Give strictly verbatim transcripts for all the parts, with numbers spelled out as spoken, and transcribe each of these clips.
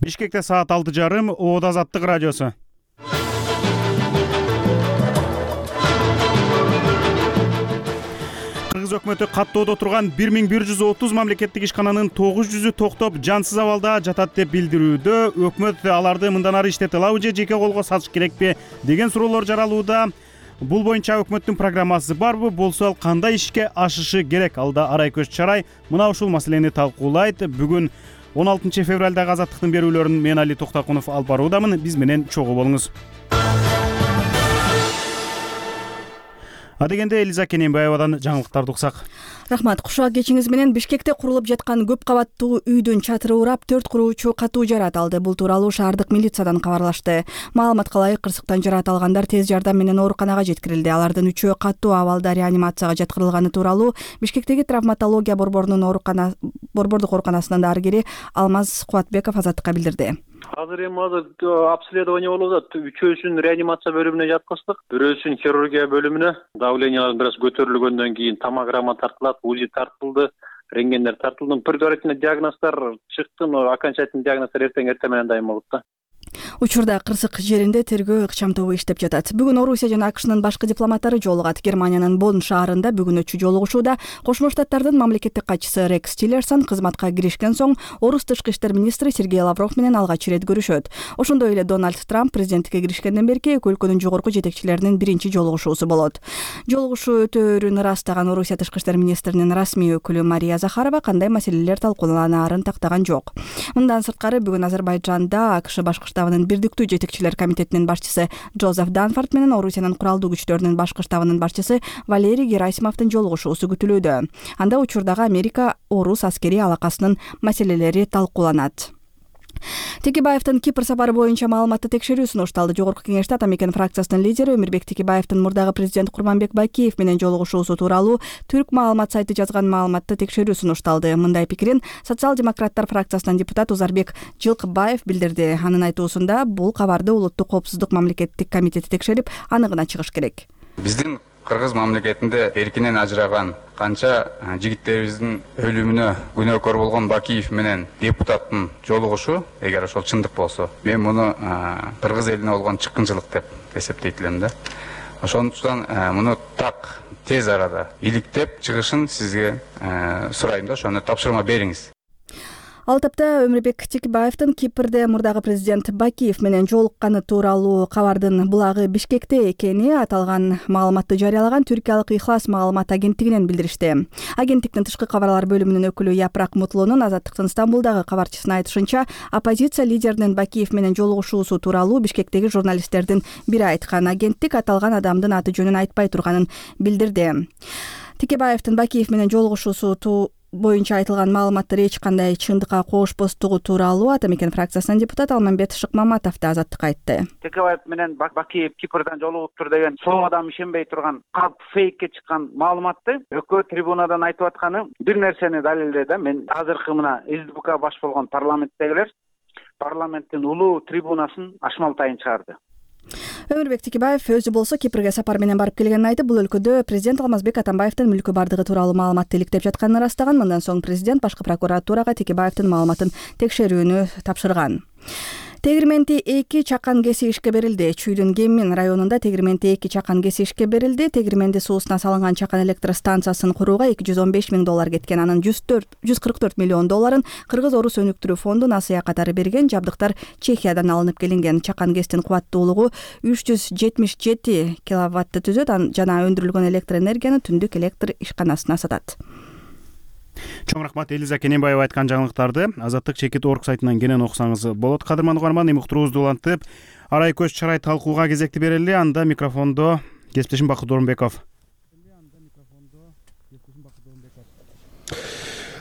Бишкекте саат алты жарым, Оодо Азаттык радиосу. Кыргыз өкмөтү каттоодо турган бир миң бир жүз отуз мамлекеттик ишкананын тогуз жүзү токтоп, жансыз абалда жатат деп билдирүүдө. Өкмөт аларды мындан ары иштете алабы же жеке колго сатыш керекпи деген суроолор жаралууда. Бул боюнча өкмөттүн программасы барбы, болсо ал кандай ишке ашышы керек? Алда Арай Көз Чарай мына ушул маселени талкуулайт. Бүгүн он алтынчы февралдагы Азаттыктын берүүлөрүн мен Али Токтакунов алып баруудамын. Биз менен чогуу болуңуз. Адегенде Элиза Кененбаевадан жаңылыктарды уксак. Рахмат. Кушак кечиңиз менен Бишкекте курулуп жаткан көп кабаттуу үйдүн чатыры урап, төрт куруучу катуу жарат алды. Бул тууралуу шаардык милициядан кабарлашты. Маалыматка ылайык, кырсыктан жарат алгандар тез жардам менен ооруканага жеткирилди. Алардын үчөө катуу абалда реанимацияга жаткырылганы тууралуу Бишкектеги травматология борборунун оорукана борбордук ооруканасынын дарыгери Алмаз Кубатбеков Азаттыкка билдирди. Азыр эми азыр обследование болуп атат. Үчөөсүн реанимация бөлүмүнө жаткыздык, бирөөсүн хирургия бөлүмүнө. Давлениялар бир аз көтөрүлгөндөн кийин томограмма тартылат, УЗИ тартылды, рентгендер тартылды. Предварительный диагноздор чыкты, но окончательный диагноздор эртең эртең менен дайым болот да. Учурда Кырсык жеринде тергөө ыкчам тобу иштеп жатат. Бүгүн Орусия жана АКШнын башкы дипломаттары жолугат. Германиянын Бонн шаарында бүгүнөчү жолугушууда Кошмо Штаттардын мамлекеттик катчысы Рекс Тиллерсон кызматка киришкен соң Орус тышкы иштер министри Сергей Лавров менен алгач ирет көрүшөт. Ошондой эле Дональд Трамп президенттикке киришкенден берки эки өлкөнүн жогорку жетекчилеринин биринчи жолугушуусу болот. Жолугушуу өтөөрүн ырастаган Орусия тышкы иштер министринин расмий өкүлү Мария Захарова кандай маселелер талкууланаарын тактаган жок. Мындан сырткары бүгүн Азербайджанда АКШ башкы штабынын бирдиктүү жетекчилер комитетинин башчысы Джозеф Данфорд менен Орусиянын куралдуу күчтөрүнүн башкы штабынын башчысы Валерий Герасимовдун жолугушуусу күтүлүүдө. Анда учурдагы Америка-Орус аскерий алакасынын маселелери талкууланат. Текебаевдин Кипр сапары боюнча маалыматты текшерүү сунушталды. Жогорку кеңеште Атамекен фракциясынын лидери Өмүрбек Текебаевдин мурдагы президент Курманбек Бакиев менен жолугушуусу тууралуу Түрк маалымат сайты жазган маалыматты текшерүү сунушталды. Мындай пикирин социал-демократтар фракциясынан депутат Узарбек Жылкыбаев билдирди. Анын айтуусунда бул кабарды Улуттук коопсуздук мамлекеттик комитети текшерип, аныгына чыгыш керек. Биздин Кыргыз мамлекетинде эркинен ажыраган канча жигиттерибиздин өлүмүнө күнөөкөр болгон Бакиев менен депутаттын жолугушу, эгер ошол чындык болсо, мен муну Кыргыз элине болгон чыккынчылык деп эсептейт элем да. Ошондуктан муну так тез арада иликтеп чыгышын сизге сурайм да, ошону тапшырма бериңиз. Ал тапта Өмүрбек Текебаевдин Кипрде мурдагы президент Бакиев менен жолукканы тууралуу кабардын булагы Бишкекте экени аталган маалыматты жарыялаган түркиялык Ихлас маалымат агенттигинен билдиришти. Агенттиктин тышкы кабарлар бөлүмүнүн өкүлү Япрак Мутлунун Азаттыктын Стамбулдагы кабарчысына айтышынча, оппозиция лидеринин Бакиев менен жолугушуусу тууралуу Бишкектеги журналисттердин бири айткан. Агенттик аталган адамдын аты жөнүн айтпай турганын билдирди. Текебаевдин Бакиев менен жолугушуусу боюнча айтылган маалыматтар эч кандай чындыкка коошпостугу тууралуу Атамекен фракциясынын депутаты Алмамбет Шыкмаматов да Азаттыкка айтты. Текебаев менен Бакиев Кипрден жолугуптур деген сол адам ишенбей турган калп фейкке чыккан маалыматты өкмөт трибунадан айтып атканы бир нерсени далилдedi да. Мен азыркы мына СДПК баш болгон парламенттегилер парламенттин улуу трибунасын ашмалтайын чыгарды. Өмүрбек Текебаев өзү болсо Кипрге сапар менен барып келгенин айтып, бул өлкөдө президент Алмазбек Атамбаевдин мүлкү бардыгы тууралуу маалыматты иликтеп жатканын ырастаган. Мындан соң президент башкы прокуратурага Текебаевдин маалыматын текшерүүнү тапшырган. Тегирменти эки чакан кеси ишке берилди. Чүйдүн Кемин районунда Тегирменти эки чакан кеси ишке берилди. Тегирменди суусуна салынган чакан электр станциясын курууга эки жүз он беш миң доллар кеткен. Анын жүз кырк төрт миллион долларын Кыргыз-Орус өнүктүрүү фонду насыя катары берген. Жабдыктар Чехиядан алынып келинген. Чакан кестин кубаттуулугу үч жүз жетимиш жети киловаттты түзөт жана өндүрүлгөн электр энергияны түндүк электр ишканасына сатат. Чоң рахмат Элиза Кененбаева айткан жаңылыктарды Азаттык чекит орг сайтынан кенен окусаңыз болот. Кадырман угарман, эми уктуруубузду улантып, Арай Көз Чарай талкууга кезекти берели. Анда микрофондо кесиптешим Бакыт Орунбеков.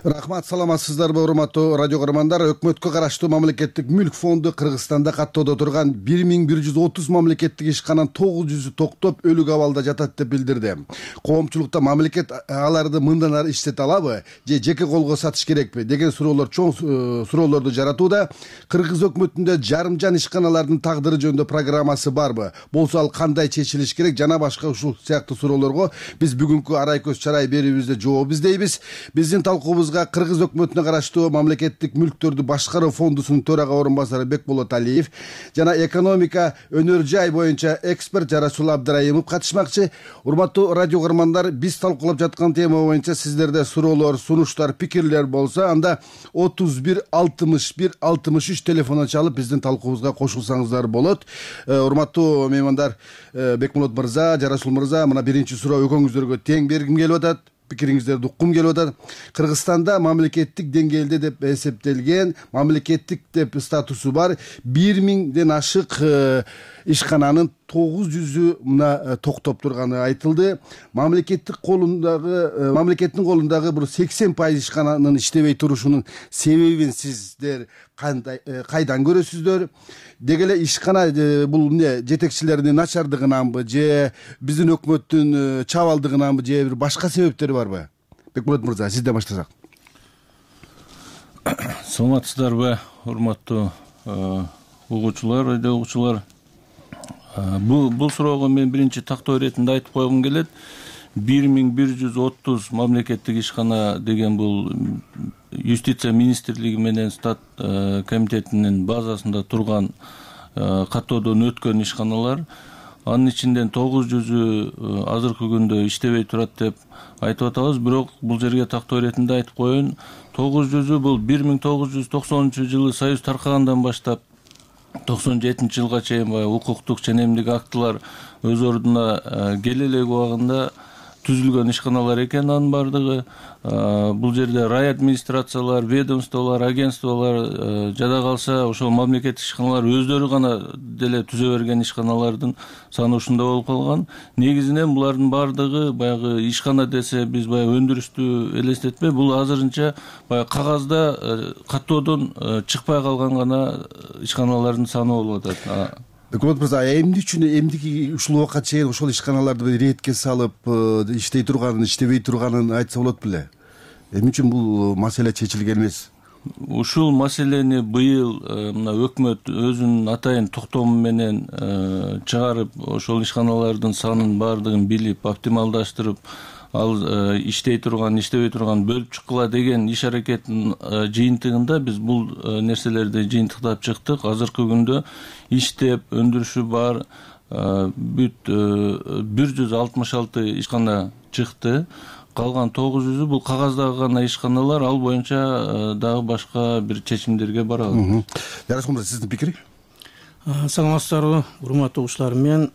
Рахмат, саламатсыздарбы урматтуу радио көрөрмандар. Өкмөткө караштуу мамлекеттик мүлк фонду Кыргызстанда каттоодо турган бир миң бир жүз отуз мамлекеттик ишкананын тогуз жүзү токтоп, өлүк абалда жатат деп билдирди. Коомчулукта мамлекет аларды мындан ары иштете алабы же жеке колго сатыш керекпи деген суроолор чоң суроолорду жаратууда. Кыргыз өкмөтүндө жарымжан ишканалардын тагдыры жөнүндө программасы барбы? Болсо ал кандай чечилиш керек? Жана башка ушул сыяктуу суроолорго биз бүгүнкү Арай Көз Чарай берүүбүздө жооп издейбиз. Биздин талкуубузга студиябызга кыргыз өкмөтүнө караштуу мамлекеттик мүлктөрдү башкаруу фондусунун төрага орун басары Бекболот Алиев жана экономика өнөр жай боюнча эксперт Жарасул Абдыраимов катышмакчы. Урматтуу радио көрөрмандар, биз талкуулап жаткан тема боюнча сиздерде суроолор, сунуштар, пикирлер болсо, анда отуз бир алтымыш бир алтымыш үч телефонун чалып биздин талкуубузга кошулсаңыздар болот. Урматтуу меймандар, Бекболот мырза, Жарасул мырза, мына биринчи суроо экөөңүздөргө тең бергим келип атат. Пикириңиздерди уккум келип атат. Кыргызстанда мамлекеттик деңгээлде деп эсептелген, мамлекеттик деп статусу бар бир миңден ашык ишкананын тогуз жүзү мына токтоп турганы айтылды. Мамлекеттик колундагы, мамлекеттин колундагы бир сексен пайыз ишкананын иштебей турушунун себебин сиздер кандай, кайдан көрөсүздөр? Деги эле ишкана бул эмне, жетекчилеринин начардыгынанбы, же биздин өкмөттүн чабалдыгынанбы, же бир башка себептери барбы? Бекболот мырза, сизден баштасак. Саламатсыздарбы, урматтуу угуучулар, радио угуучулар. Бул бул суроого мен биринчи тактоо иретинде айтып койгум келет. бир миң бир жүз отуз мамлекеттик ишкана деген бул юстиция министрлиги менен стат комитетинин базасында турган каттоодон өткөн ишканалар. Анын ичинден тогуз жүзү азыркы күндө иштебей турат деп айтып атабыз. Бирок бул жерге тактоо иретинде айтып коеюн, тогуз жүзү бул бир миң тогуз жүз токсонунчу жылы Союз таркагандан баштап токсон жетинчи жылга чейин баягы укуктук ченемдик актылар өз ордуна келе элек убагында түзүлгөн ишканалар экен. Анын бардыгы бул жерде рай администрациялар, ведомстволор, агентстволор жада калса ошол мамлекеттик ишканалар өздөрү гана деле түзө берген ишканалардын саны ушундай болуп калган. Негизинен булардын бардыгы баягы ишкана десе биз баягы өндүрүштү элестетпей, бул азырынча баягы кагазда каттоодон чыкпай калган гана ишканалардын саны болуп атат. Бекболот мырза, эмне үчүн эмдики ушул убакка чейин ошол ишканаларды иретке салып, иштей турганын, иштебей турганын айтса болот беле? Эмне үчүн бул маселе чечилген эмес? Ушул маселени быйыл мына өкмөт өзүнүн атайын токтому менен чыгарып, ошол ишканалардын санын бардыгын билип, оптималдаштырып, ал иштей турган, иштебей турган бөлүп чыккыла деген иш аракеттин жыйынтыгында биз бул нерселерди жыйынтыктап чыктык. Азыркы күндө иштеп, өндүрүшү бар бүт бир жүз алтымыш алты ишкана чыкты. Калган тогуз жүзү бул кагаздагы гана ишканалар, ал боюнча дагы башка бир чечимдерге барабыз. Жарасул мырза, сиздин пикири? Саламатсыздарбы, урматтуу угуучулар. Мен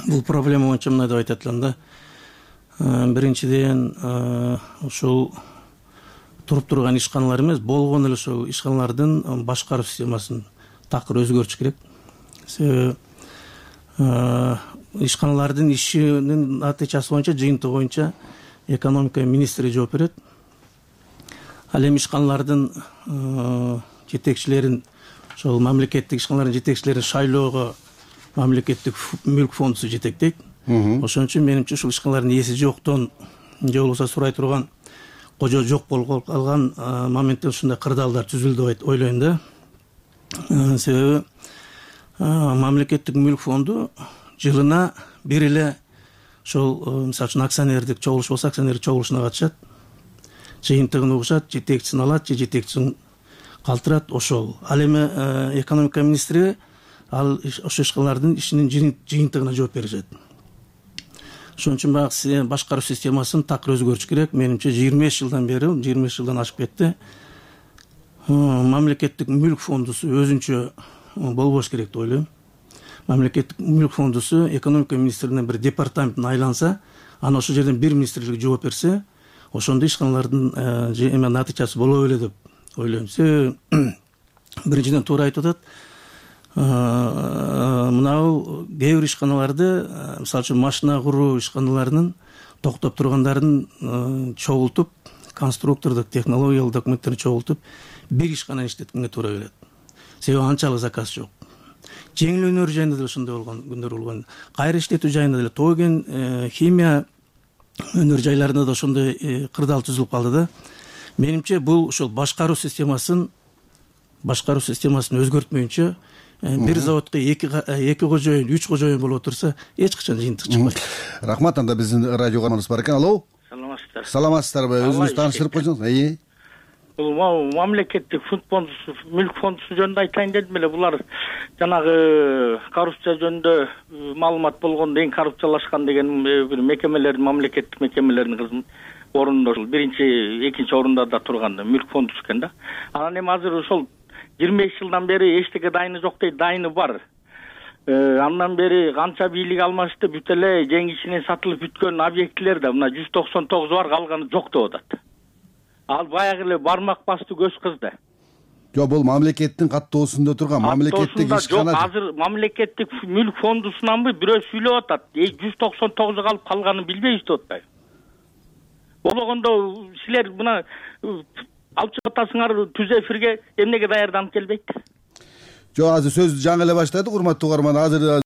бул проблема боюнча мындай деп айтат элем да. Биринчиден, ушул туруп турган ишканалар эмес, болгон эле ошол ишканалардын башкаруу системасын такыр өзгөртүш керек. Себеби ишканалардын ишинин натыйжасы боюнча, жыйынтыгы боюнча экономика министри жооп берет. Ал эми ишканалардын жетекчилерин, ошол мамлекеттик ишканалардын жетекчилерин шайлоого мамлекеттик мүлк фондусу жетектейт. Ошон үчүн менимче ушул ишканалардын ээси жоктон же болбосо сурай турган кожо жок болуп калган моментте ушундай кырдаалдар түзүлдү деп ойлойм да. Себеби мамлекеттик мүлк фонду жылына бир эле ошол мисалы үчүн акционердик чогулуш болсо акционердик чогулушуна катышат, жыйынтыгын угушат, жетекчисин алат же жетекчисин калтырат, ошол. Ал эми экономика министри ал ошол ишканалардын ишинин жыйынтыгына жооп беришет. Ошон үчүн баягы башкаруу системасын такыр өзгөртүш керек. Менимче жыйырма беш жылдан бери, жыйырма беш жылдан ашып кетти. Мамлекеттик мүлк фондусу өзүнчө болбош керек деп ойлойм. Мамлекеттик мүлк фондусу экономика министрлигинин бир департаментин айланса, аны ошол жерден бир министрлик жооп берсе, ошондо ишканалардын эме натыйжасы боло беле деп ойлойм. Себеби биринчиден туура айтып атат. Мынау кээ бир ишканаларды, мисалы үчүн машина куруу ишканаларынын токтоп тургандарын чогултуп, конструктордук технологиялык документтерин чогултуп, бир ишкана иштеткенге туура келет. Себеби анчалык заказ жок. Жеңил өнөр жайында деле ошондой болгон күндөр болгон. Кайра иштетүү жайында деле тоген химия өнөр жайларында да ошондой кырдаал түзүлүп калды да. Менимче бул ошол башкаруу системасын башкаруу системасын өзгөртмөйүнчө бир заводко эки эки кожоюн, үч кожоюн болуп отурса, эч качан жыйынтык чыкпайт. Рахмат. Анда биздин радио каналыбыз бар экен. Алло. Саламатсыздар. саламатсыздарбы? Саламатсыздарбы? Өзүңүз тааныштырып койсоңуз. Бул мамлекеттик фонд фондусу, мүлк фондусу жөнүндө айтайын дедим эле. Булар жанагы коррупция жөнүндө маалымат болгондо эң коррупциялашкан деген бир мекемелердин, мамлекеттик мекемелердин орунда ушул биринчи, экинчи орундада турган мүлк фондусу экен да. Анан эми азыр ошол жыйырма беш жылдан бери эчтеке дайыны жок дейт, дайыны бар. Андан бери канча бийлик алмашты, бүт эле жең ичинен сатылып бүткөн объектилер да мына жүз токсон тогузу бар, калганы жок деп атат. Ал баягы эле бармак басты көз кызды. Жок, бул мамлекеттин каттоосунда турган мамлекеттик ишкана. Жок, азыр мамлекеттик мүлк фондусунанбы бирөө сүйлөп атат. жүз токсон тогузу калып калганын билбейбиз деп атпайбы? Болгондо силер мына алып чыгып атасыңар түз эфирге эмнеге даярданып келбейт? Жок, азыр сөздү жаңы эле баштадык, урматтуу угарман. Азыр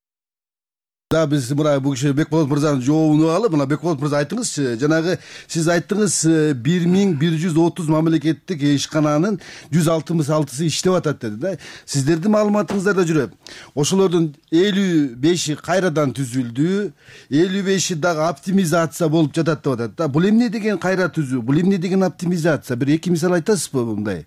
да биз мына бул киши Бекболот мырзанын жообун алып, мына Бекболот мырза айтыңызчы, жанагы сиз айттыңыз бир миң бир жүз отуз мамлекеттик ишкананын жүз алтымыш алтысы иштеп атат деди да. Сиздердин маалыматыңыздарда жүрөт. Ошолордун элүү беши кайрадан түзүлдү, элүү беши дагы оптимизация болуп жатат деп атат да. Бул эмне деген кайра түзүү? Бул эмне деген оптимизация? Бир эки мисал айтасызбы мындай?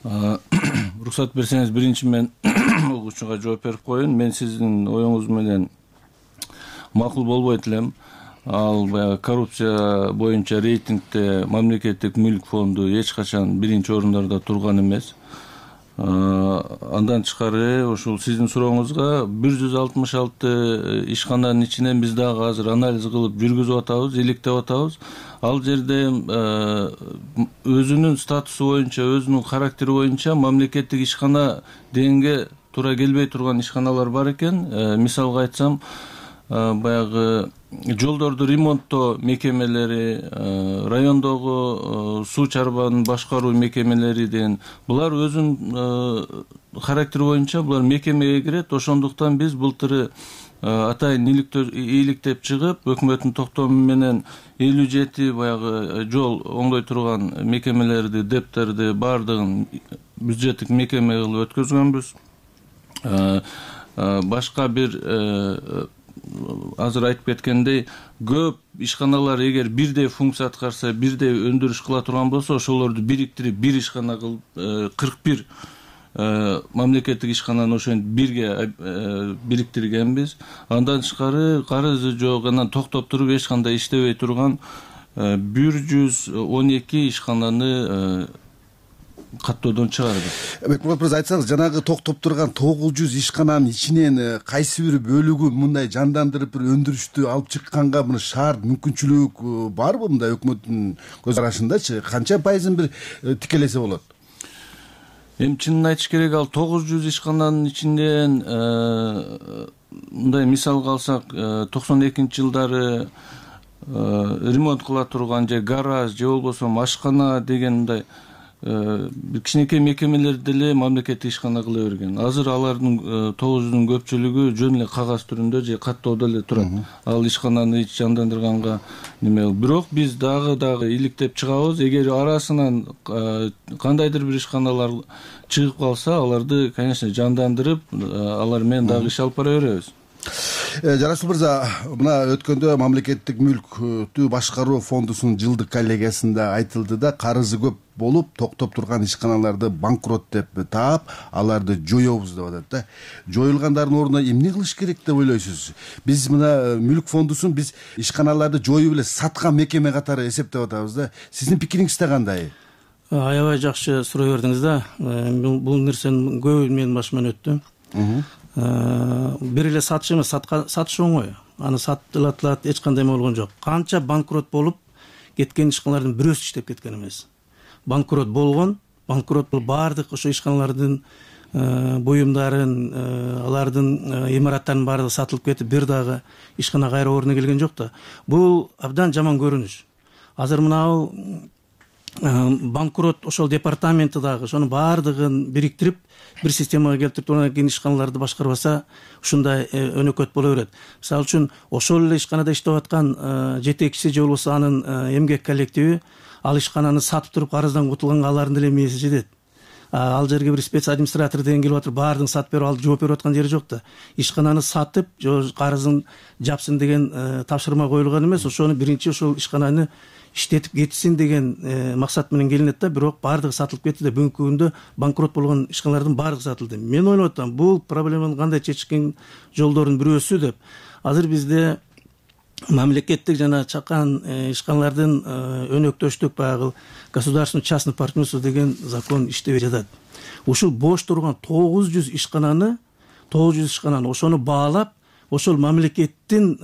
Уруксат берсеңиз, биринчи мен угуучуга жооп берип коеюн. Мен сиздин оюңуз менен макул болбойт элем. Ал баягы коррупция боюнча рейтингде мамлекеттик мүлк фонду эч качан биринчи орундарда турган эмес. Андан тышкары ушул сиздин сурооңузга бир жүз алтымыш алты ишкананын ичинен биз дагы азыр анализ кылып жүргүзүп атабыз, иликтеп атабыз. Ал жерде өзүнүн статусу боюнча, өзүнүн характери боюнча мамлекеттик ишкана дегенге туура келбей турган ишканалар бар экен. Мисалга айтсам, баягы жолдорду ремонттоо мекемелери, райондогу суу чарбанын башкаруу мекемелери деген булар өзүнүн характери боюнча булар мекемеге кирет. Ошондуктан биз былтыры атайын иликтеп чыгып, өкмөттүн токтому менен элүү жети баягы жол оңдой турган мекемелерди, дептерди баардыгын бюджеттик мекеме кылып өткөзгөнбүз. Башка бир азыр айтып кеткендей, көп ишканалар эгер бирдей функция аткарса, бирдей өндүрүш кыла турган болсо, ошолорду бириктирип бир ишкана кылып, кырк бир мамлекеттик ишкананы ошентип бирге бириктиргенбиз. Андан тышкары карызы жок, анан токтоп туруп эч кандай иштебей турган бир жүз он эки ишкананы каттоодон чыгардык. Бекболот мырза, айтсаңыз, жанагы токтоп турган тогуз жүз ишкананын ичинен кайсы бир бөлүгү мындай жандандырып бир өндүрүштү алып чыкканга мына шарт мүмкүнчүлүк барбы мындай өкмөттүн көз карашындачы? Канча пайызын бир тикелесе болот? Эми чынын айтыш керек, ал тогуз жүз ишкананын ичинен мындай мисалга алсак, токсон экинчи жылдары ремонт кыла турган же гараж же болбосо ашкана деген мындай бир кичинекей мекемелер деле мамлекеттик ишкана кыла берген. Азыр алардын тогуз жүздүн көпчүлүгү жөн эле кагаз түрүндө же каттоодо эле турат. Ал ишкананы ич жандандырганга неме. Бирок биз дагы дагы иликтеп чыгабыз. Эгер арасынан кандайдыр бир ишканалар чыгып калса, аларды, конечно, жандандырып, алар менен дагы иш алып бара беребиз. Жарашыл мырза, мына өткөндө мамлекеттик мүлктү башкаруу фондусунун жылдык коллегиясында айтылды да, карызы көп болуп, токтоп турган ишканаларды банкрот деп таап, аларды жоёбуз деп атат да. Жоюлгандардын ордуна эмне кылыш керек деп ойлойсуз? Биз мына мүлк фондусун биз ишканаларды жоюп эле саткан мекеме катары эсептеп атабыз да. Сиздин пикириңизде кандай? Аябай жакшы суроо бердиңиз да. Бул нерсенин көбү менин башыман өттү. Бир эле сатыш эмес, сатыш оңой. Аны сатылат, эч кандай болгон жок. Канча банкрот болуп кеткен ишканалардын бирөөсү иштеп кеткен эмес. Банкрот болгон, банкрот бул баардык ошо ишканалардын буюмдарын, алардын имараттарынын баардыгы сатылып кетип, бир дагы ишкана кайра ордуна келген жок да. Бул абдан жаман көрүнүш. Азыр мына банкрот ошол департаменти дагы ошонун баардыгын бириктирип бир системага келтирип анан кийин ишканаларды башкарбаса, ушундай өнөкөт боло берет. Мисалы үчүн ошол эле ишканада иштеп аткан жетекчиси же болбосо анын эмгек коллективи ал ишкананы сатып туруп карыздан кутулганга алардын деле мээси жетет. Ал жерге бир спец администратор деген келип атыр, баардыгын сатып берип, ал жооп берип аткан жери жок да. Ишкананы сатып, карызын жапсын деген тапшырма коюлган эмес, ошону биринчи ошол ишкананы иштетип кетсин деген максат менен келинет да, бирок баардыгы сатылып кетти да, бүгүнкү күндө банкрот болгон ишканалардын баардыгы сатылды. Мен ойлоп атам, бул проблеманы кандай чечкен жолдордун бирөөсү деп. Азыр бизде мамлекеттик жана чакан ишканалардын өнөктөштүк баягы государственный частный партнерство деген закон иштебей жатат. Ушул бош турган тогуз жүз ишкананы тогуз жүз ишкананы ошону баалап, ошол мамлекеттин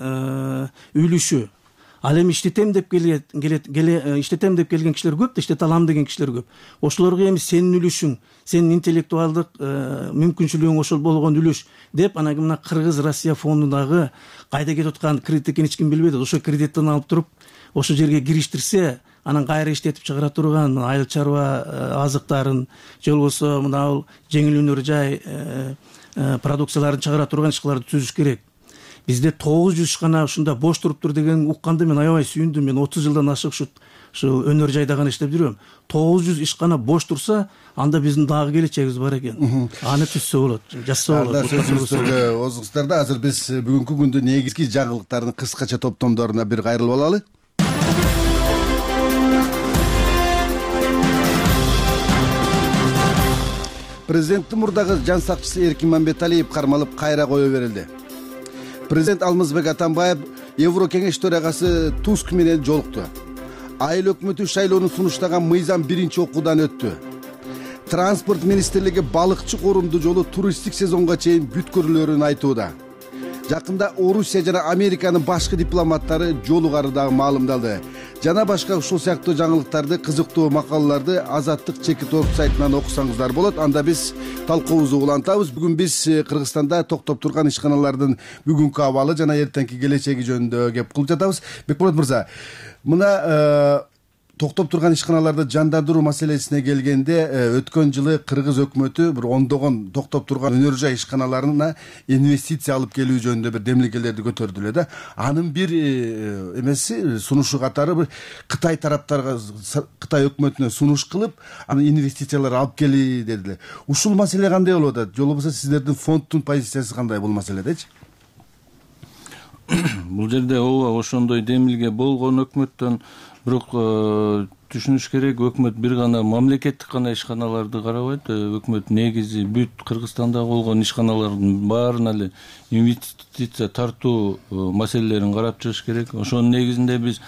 үлүшү. Ал эми иштетем деп келет, келет, келе иштетем деп келген кишилер көп да, иштете алам деген кишилер көп. Ошолорго эми сенин үлүшүң, сенин интеллектуалдык мүмкүнчүлүгүң ошол болгон үлүш деп, анан мына Кыргыз Россия фондундагы кайда кетип аткан кредит экенин эч ким билбейт. Ошо кредиттен алып туруп, ошол жерге кириштирсе, анан кайра иштетип чыгара турган айыл чарба азыктарын, же болбосо мына жеңил өнөр жай продукцияларын чыгара турган ишкаларды түзүш керек. Бизде тогуз жүз ишкана ушунда бош туруптур деген укканда мен аябай сүйүндүм. Мен отуз жылдан ашык ушу өнөр жайда гана иштеп жүрөм. тогуз жүз ишкана бош турса, анда биздин дагы келечегибиз бар экен. Аны түзсө болот, жазса болот. Сөзүңүздөргө озуңуздар да. Азыр биз бүгүнкү күндө негизги жаңылыктардын кыскача топтомдоруна бир кайрылып алалы. Президенттин мурдагы жан сакчысы Эркин Мамбеталиев кармалып кайра кое берилди. Президент Алмазбек Атамбаев Евро кеңеш төрагасы Туск менен жолукту. Айыл өкмөтү шайлоону сунуштаган мыйзам биринчи окуудан өттү. Транспорт министрлиги балыкчы корумду жолу туристтик сезонго чейин бүткөрүлөрүн айтууда. Жакында Орусия жана Американын башкы дипломаттары жолугары дагы маалымдалды. Жана башка ушул сыяктуу жаңылыктарды, кызыктуу макалаларды Азаттык чекит орг сайтынан окусаңыздар болот. Анда биз талкуубузду улантабыз. Бүгүн биз Кыргызстанда токтоп турган ишканалардын бүгүнкү абалы жана эртеңки келечеги жөнүндө кеп кылып жатабыз. Бекболот мырза, мына токтоп турган ишканаларды жандандыруу маселесине келгенде, өткөн жылы Кыргыз өкмөтү бир ондогон токтоп турган өнөр жай ишканаларына инвестиция алып келүү жөнүндө бир демилгелерди көтөрдү эле да. Анын бир эмеси, сунушу катары бир Кытай тараптарга, Кытай өкмөтүнө сунуш кылып, анын инвестициялар алып кели дедилер. Ушул маселе кандай болуп атат? Же болбосо сиздердин фонддун позициясы кандай бул маселедечи? Бул жерде ооба ошондой демилге болгон өкмөттөн, бирок түшүнүш керек, өкмөт бир гана мамлекеттик гана ишканаларды карабайт. Өкмөт негизи бүт Кыргызстанда болгон ишканалардын баарына эле инвестиция тартуу маселелерин карап чыгыш керек. Ошонун негизинде биз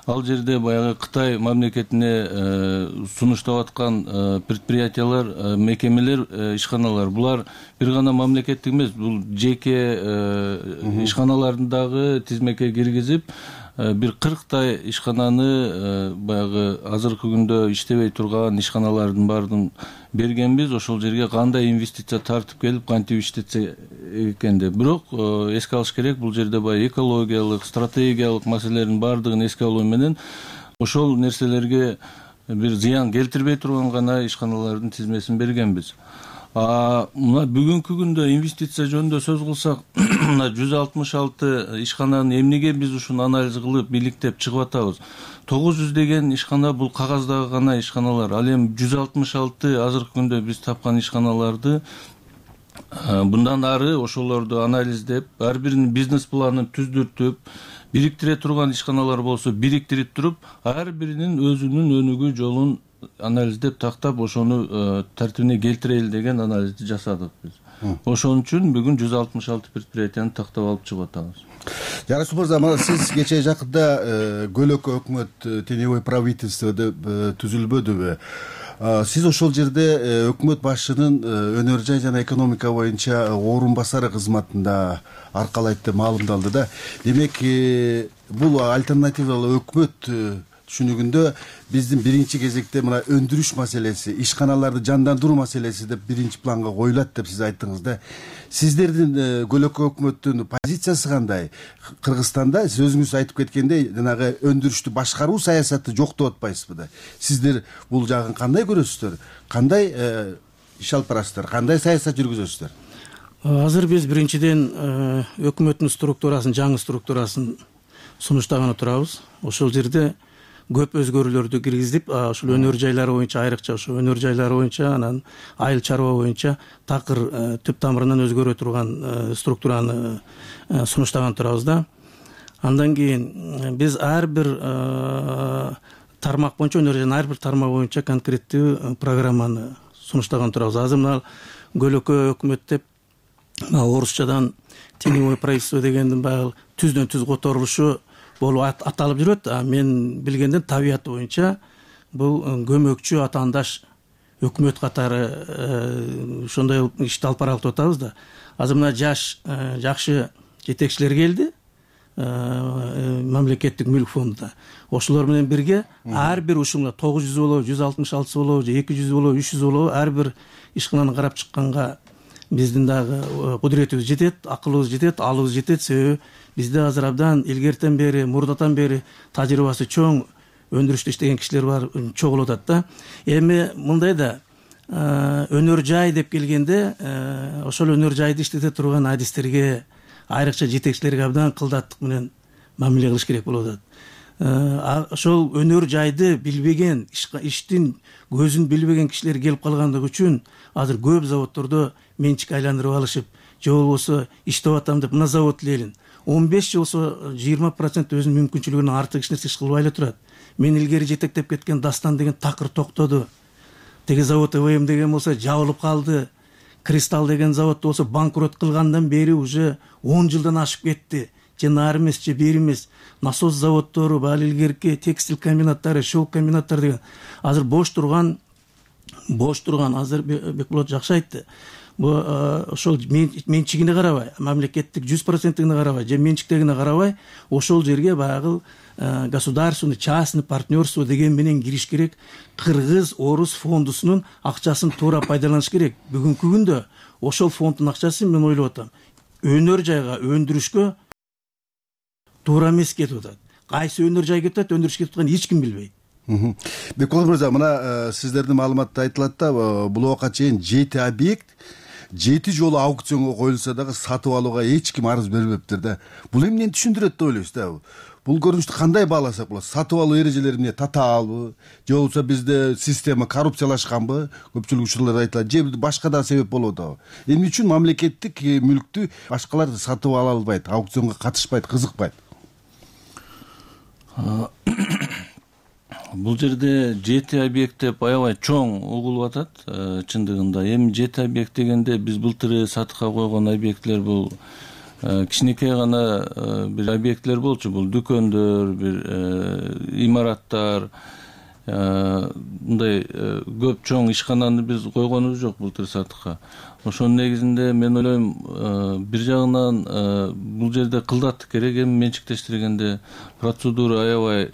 ал жерде баягы Кытай мамлекетине сунуштап аткан предприятиялар, мекемелер, ишканалар, булар бир гана мамлекеттик эмес, бул жеке ишканалардын дагы тизмеке киргизип, бир кырктай ишкананы баягы азыркы күндө иштебей турган ишканалардын баардыгын бергенбиз. Ошол жерге кандай инвестиция тартып келип, кантип иштетсе экен деп. Бирок эске алыш керек, бул жерде баягы экологиялык, стратегиялык маселелердин баардыгын эске алуу менен ошол нерселерге бир зыян келтирбей турган гана ишканалардын тизмесин бергенбиз. А мына бүгүнкү күндө инвестиция жөнүндө сөз кылсак, мына жүз алтымыш алты ишкананын эмнеге биз ушуну анализ кылып бийликтеп чыгып атабыз? тогуз жүз деген ишкана бул кагаздагы гана ишканалар. Ал эми жүз алтымыш алты азыркы күндө биз тапкан ишканаларды мындан ары ошолорду анализдеп, ар биринин бизнес планын түздүртүп, бириктире турган ишканалар болсо бириктирип туруп, ар биринин өзүнүн өнүгүү жолун анализдеп тактап, ошону тартибине келтирели деген анализди жасадык биз. Ошон үчүн бүгүн жүз алтымыш алты предприятияны тактап алып чыгып атабыз. Жарасып мырза, сиз кечээ жакында Көлөкө өкмөт теневой правительство деп түзүлбөдүбү? Сиз ошол жерде өкмөт башчынын өнөр жай жана экономика боюнча орун басары кызматында аркалайт деп маалымдалды да. Демек, бул альтернативалуу өкмөт түшүнүгүндө биздин биринчи кезекте мына өндүрүш маселеси, ишканаларды жандандыруу маселеси деп биринчи планга коюлат деп сиз айттыңыз да. Сиздердин Көлөкө өкмөттүн позициясы кандай? Кыргызстанда сиз өзүңүз айтып кеткендей, жанагы өндүрүштү башкаруу саясаты жок деп атпайсызбы да? Сиздер бул жагын кандай көрөсүздөр? Кандай иш алып барасыздар? Кандай саясат жүргүзөсүздөр? Азыр биз биринчиден өкмөттүн структурасын, жаңы структурасын сунуштаганы турабыз. Ошол жерде көп өзгөрүүлөрдү киргизип, ушул өнөр жайлары боюнча, айрыкча ошо өнөр жайлары боюнча, анан айыл чарба боюнча такыр түп тамырынан өзгөрө турган структураны сунуштаган турабыз да. Андан кийин биз ар бир тармак боюнча өнөр жана ар бир тармак боюнча конкреттүү программаны сунуштаган турабыз. Азыр мына көлөкө өкмөт деп орусчадан теневое правительство дегендин баягы түздөн түз которулушу болуп аталып жүрөт. А мен билгенден табияты боюнча бул көмөкчү атаандаш өкмөт катары ошондой ишти алып баралып атабыз да. Азыр мына жаш жакшы жетекчилер келди мамлекеттик мүлк фондуна. Ошолор менен бирге ар бир ушунга тогуз жүз болобу, жүз алтымыш алты болобу, же эки жүз болобу, үч жүз болобу ар бир ишкананы карап чыкканга биздин дагы кудуретибиз жетет, акылыбыз жетет, алыбыз жетет. Себеби бизде азыр абдан илгертен бери, мурдатан бери тажрыйбасы чоң өндүрүштө иштеген кишилер бар, чогулуп атат да. Эми мындай да өнөр жай деп келгенде ошол өнөр жайды иштете турган адистерге, айрыкча жетекчилерге абдан кылдаттык менен мамиле кылыш керек болуп атат. Ошол өнөр жайды билбеген, иштин көзүн билбеген кишилер келип калгандыгы үчүн азыр көп заводдордо менчик айландырып алышып, же болбосо иштеп атам деп мына завод элелин он беш же болсо жыйырма процент өзүнүн мүмкүнчүлүгүнөн артык эч нерсе иш кылбай эле турат. Мен илгери жетектеп кеткен Дастан деген такыр токтоду. Теги завод ЭВМ деген болсо жабылып калды. Кристалл деген завод болсо банкрот кылгандан бери уже он жылдан ашып кетти. Же нары эмес, же бери эмес. Насос заводдору, баалы илгерки текстиль комбинаттары, шелк комбинаттары деген азыр бош турган, бош турган азыр Бекболот жакшы айтты. Бу ошол менчигине карабай, мамлекеттик жүз процентине карабай, же менчиктегине карабай, ошол жерге баягы государственный, частный партнерство деген менен кириш керек. Кыргыз орус фондусунун акчасын туура пайдаланыш керек. Бүгүнкү күндө ошол фонддун акчасы мен ойлоп атам, өнөр жайга, өндүрүшкө туура эмес кетип атат. Кайсы өнөр жай кетип атат, өндүрүш кетип атканын эч ким билбейт. Бекболот мырза, мына сиздердин маалыматта айтылат да, бул убакка чейин жети объект жети жолу аукционго коюлса дагы сатып алууга эч ким арыз бербептир да. Бул эмнени түшүндүрөт деп ойлойсуз да? Бул көрүнүштү кандай бааласак болот? Сатып алуу эрежелери эмне, татаалбы? Же болбосо бизде система коррупциялашканбы? Көпчүлүк учурларда айтылат. Же башка да себеп болуп атабы? Эмне үчүн мамлекеттик мүлктү башкалар сатып ала албайт, аукционго катышпайт, кызыкпайт? Бул жерде жети объект деп аябай чоң угулуп атат чындыгында. Эми жети объект дегенде биз былтыр сатыкка койгон объектлер бул кичинекей гана бир объектлер болчу. Бул дүкөндөр, бир имараттар, мындай көп чоң ишкананы биз койгонубуз жок былтыр сатыкка. Ошонун негизинде мен ойлойм, бир жагынан бул жерде кылдаттык керек. Эми менчиктештиргенде процедура аябай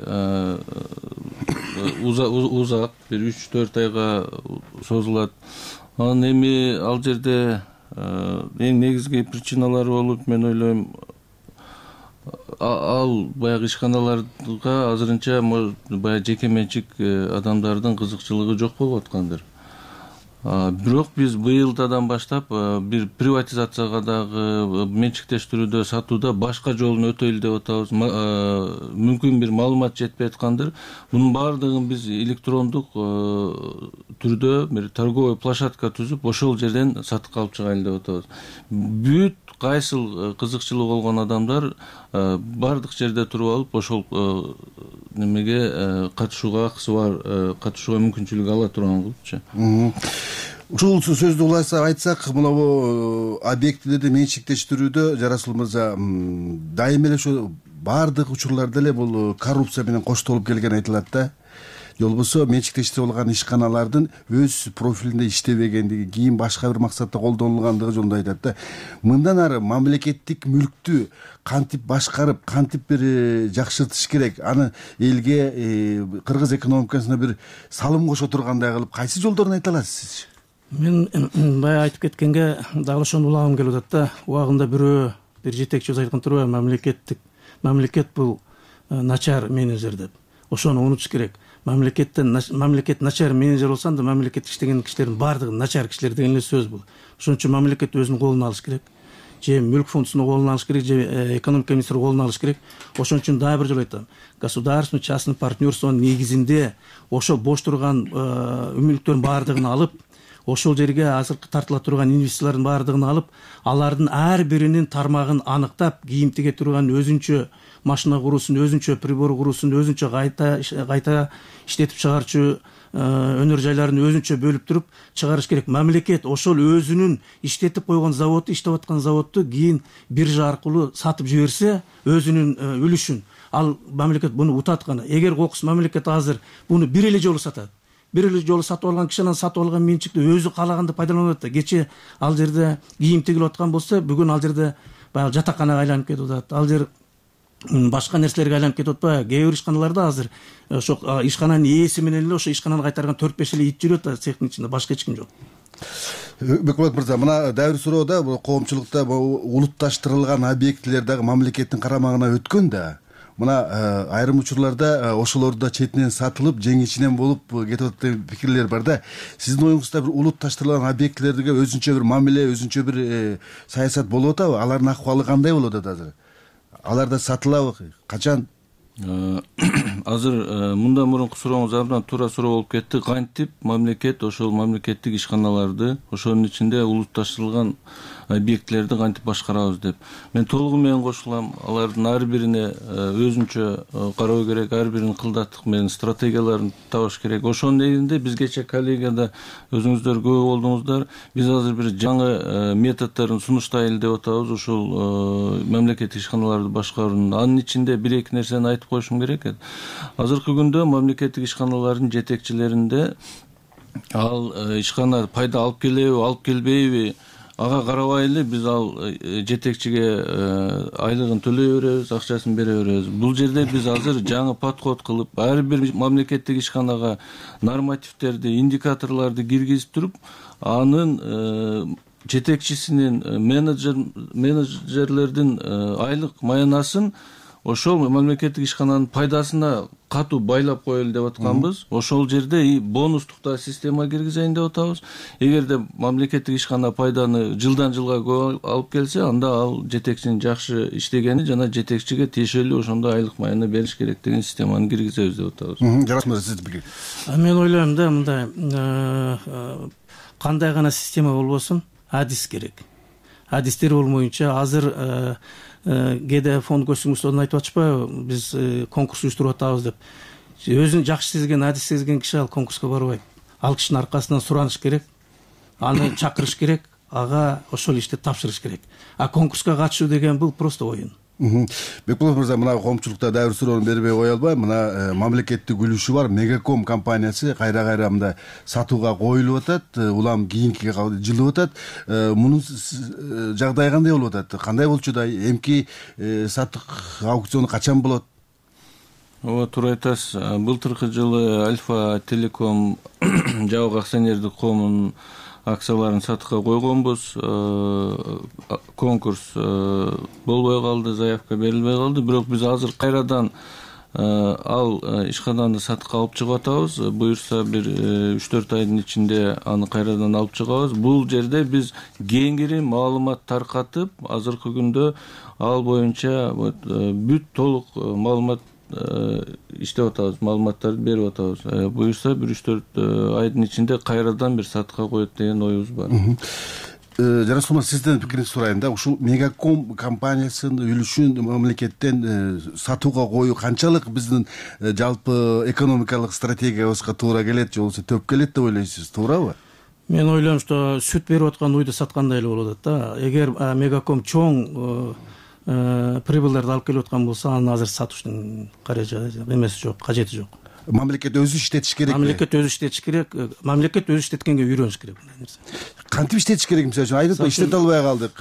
узак, бир үч төрт айга созулат. Анан эми ал жерде эң негизги причиналары болуп, мен ойлойм, ал баягы ишканаларга азырынча баягы жеке менчик адамдардын кызыкчылыгы жок болуп аткандыр. Бирок биз быйылдан баштап бир приватизацияга дагы, менчиктештирүүдө, сатууда башка жолун өтөйлү деп атабыз. Мүмкүн бир маалымат жетпей аткандыр. Мунун баардыгын биз электрондук түрдө бир торговый площадка түзүп, ошол жерден сатыкка алып чыгайлы деп атабыз. Бүт кайсыл кызыкчылыгы болгон адамдар бардык жерде туруп алып, ошол немеге катышууга акысы бар, катышууга мүмкүнчүлүк ала турган кылыпчы. Ушул сөздү улайса айтсак, мына объектилерди менчиктештирүүдө Жарасыл мырза дайыма эле ошо бардык учурларда эле бул коррупция менен коштолуп келген айтылат да. Же болбосо менчиктештирип алган ишканалардын өз профилинде иштебегендиги, кийин башка бир максатта колдонулгандыгы жөнүндө айтат да. Мындан ары мамлекеттик мүлктү кантип башкарып, кантип бир жакшыртыш керек, аны элге, кыргыз экономикасына бир салым кошо тургандай кылып кайсы жолдорун айта аласыз? Мен баягы айтып кеткенге дагы ошону улагым келип атат да. Убагында бирөө бир жетекчибиз айткан турбайбы, мамлекеттик мамлекет бул начар менеджер деп. Ошону унутуш керек. Мамлекеттен мамлекет начар менеджер болсо анда мамлекет иштеген кишилердин баардыгы начар кишилер деген эле сөз бул. Ошон үчүн мамлекет өзүнүн колуна алыш керек. Же мүлк фондусунун колуна алыш керек, же экономика министринин колуна алыш керек. Ошон үчүн дагы бир жолу айтам. Государственный частный партнерствонун негизинде ошо бош турган мүлктөрдүн баардыгын алып, ошол жерге азыркы тартыла турган инвестициялардын баардыгын алып, алардын ар биринин тармагын аныктап, кийим тиге турган өзүнчө машина куруусун, өзүнчө прибор куруусун, өзүнчө кайта кайта иштетип чыгарчу өнөр жайларын өзүнчө бөлүп туруп чыгарыш керек. Мамлекет ошол өзүнүн иштетип койгон заводду, иштеп аткан заводду кийин биржа аркылуу сатып жиберсе, өзүнүн үлүшүн, ал мамлекет буну утатканы. Эгер кокус мамлекет азыр буну бир эле жолу сатат, бир эле жолу сатып алган киши анан сатып алган менчикти өзү каалаганда пайдаланып атат. Кече ал жерде кийим тигилип аткан болсо, бүгүн ал жерде баягы жатаканага айланып кетип атат. Ал жер башка нерселерге айланып кетип атпайбы? Кээ бир ишканаларда азыр ошо ишкананын ээси менен эле ошо ишкананы кайтарган төрт беш эле ит жүрүп атат цехтин ичинде, башка эч ким жок. Бекболот мырза, мына дайыр суроодо коомчулукта улутташтырылган объектилер дагы мамлекеттин карамагына өткөн да. Мына айрым учурларда ошолорду да четинен сатылып, жеңичинен болуп кетип атат деген пикирлер бар да. Сиздин оюңузда бир улутташтырылган объектилерге өзүнчө бир мамиле, өзүнчө бир саясат болуп атабы? Алардын акыбалы кандай болуп атат азыр? Алар да сатылабы? Качан? Азыр мындан мурунку сурооңуз абдан туура суроо болуп кетти. Кантип мамлекет ошол мамлекеттик ишканаларды, ошонун ичинде улутташтырылган объектилерди кантип башкарабыз деп. Мен толугу менен кошулам. Алардын ар бирине өзүнчө кароо керек, ар биринин кылдаттык менен стратегияларын табыш керек. Ошонун негизинде бизгече коллегияда өзүңүздөр күбө болдуңуздар. Биз азыр бир жаңы методдорун сунуштайлы деп атабыз. Ошол мамлекеттик ишканаларды башкаруунун. Анын ичинде бир эки нерсени айтып коюшум керек. Азыркы күндө мамлекеттик ишканалардын жетекчилеринде ал ишкана пайда алып келеби, алып келбейби, ага карабай эле биз ал жетекчиге айлыгын төлөй беребиз, акчасын бере беребиз. Бул жерде биз азыр жаңы подход кылып, ар бир мамлекеттик ишканага нормативдерди, индикаторлорду киргизип туруп, анын жетекчисинин, менеджер менеджерлердин айлык маянасын ошол мамлекеттик ишкананын пайдасына катуу байлап коелу деп атканбыз. Ошол жерде бонустук да система киргизейин деп атабыз. Эгерде мамлекеттик ишкана пайданы жылдан жылга көп алып келсе, анда ал жетекчинин жакшы иштегени жана жетекчиге тиешелүү ошондой айлык маяны бериш керек деген системаны киргизебиз деп атабыз. Жарасмыр, сиздин пикир? Мен ойлойм да, мындай кандай гана система болбосун, адис керек. Адистер болмоюнча азыр кээде фонд көчүрмөчүлөрдөн айтып атышпайбы, биз конкурс уюштуруп атабыз деп. Өзүн жакшы сезген, адис сезген киши ал конкурска барбайт. Ал кишинин аркасынан сураныш керек, аны чакырыш керек, ага ошол ишти тапшырыш керек. А конкурска катышуу деген бул просто оюн. Бекболот мырза, мына коомчулукта дагы бир суроону бербей кое албайм. Мына мамлекеттик үлүшү бар Мегаком компаниясы кайра-кайра мындай сатууга коюлуп атат, улам кийинки жылып атат. Мунун жагдайы кандай болуп атат? Кандай болчу да? Эмки сатык аукциону качан болот? Ооба, туура айтасыз. Былтыркы жылы Альфа Телеком жабык акционердик коомунун акцияларын сатыкка койгонбуз. Конкурс болбой калды, заявка берилбей калды. Бирок биз азыр кайрадан ал ишкананы сатыкка алып чыгып атабыз. Буюрса бир үч төрт айдын ичинде аны кайрадан алып чыгабыз. Бул жерде биз кеңири маалымат таркатып, азыркы күндө ал боюнча бүт толук маалымат иштеп атабыз, маалыматтарды берип атабыз. Буюрса бир үч төрт айдын ичинде кайрадан бир сатыкка коет деген оюбуз бар. Жарасмыр, сиздин пикириңизди сурайын да. Ушул Мегаком компаниясынын үлүшүн мамлекеттен сатууга коюу канчалык биздин жалпы экономикалык стратегиябызга туура келет, же болбосо төп келет деп ойлойсуз, туурабы? Мен ойлойм, что сүт берип аткан уйду саткандай эле болуп атат да. Эгер Мегаком чоң прибылдарды алып келип аткан болсо, аны азыр сатуштун каражаты эмеси жок, кажети жок. Мамлекет өзү иштетиш керек. Мамлекет өзү иштетиш керек. Мамлекет өзү иштеткенге үйрөнүш керек мындай нерсе. Кантип иштетиш керек? Мисалы үчүн айрып иштете албай калдык.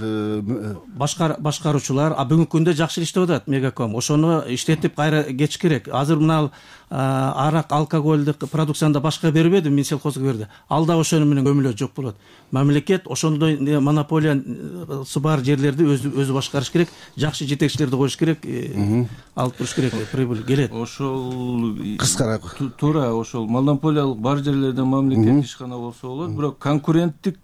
Башкар башкаруучулар а бүгүнкү күндө жакшы иштеп атат Мегаком. Ошону иштетип кайра кетиш керек. Азыр мына арак, алкоголдук продукцияны да башка бербеди, Минсельхозго берди. Ал да ошону менен көмүлө жок болот. Мамлекет ошондой монополиясы бар жерлерди өзү өзү башкарыш керек, жакшы жетекчилерди коюш керек, алып туруш керек, прибыль келет. Ошол кыскара туура, ошол монополиялык бар жерлерде мамлекет ишкана болсо болот, бирок конкуренттик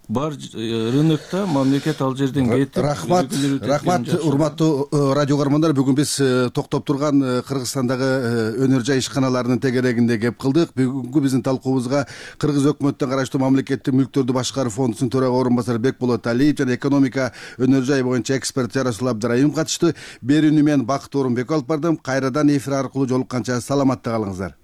бар рынокто мамлекет ал жерден кетип рахмат рахмат урматтуу радио көрөрмандар, бүгүн биз токтоп турган Кыргызстандагы өнөр жай ишканаларынын тегерегинде кеп кылдык. Бүгүнкү биздин талкуубузга Кыргыз өкмөтүнө караштуу мамлекеттик мүлктөрдү башкаруу фондунун төрага орун басары Бекболот Алиев жана экономика өнөр жай боюнча эксперт Жарасул Абдыраимов катышты. Берүүнү мен Бакыт Орунбеков алып бардым. Кайрадан эфир аркылуу жолукканча саламатта калыңыздар.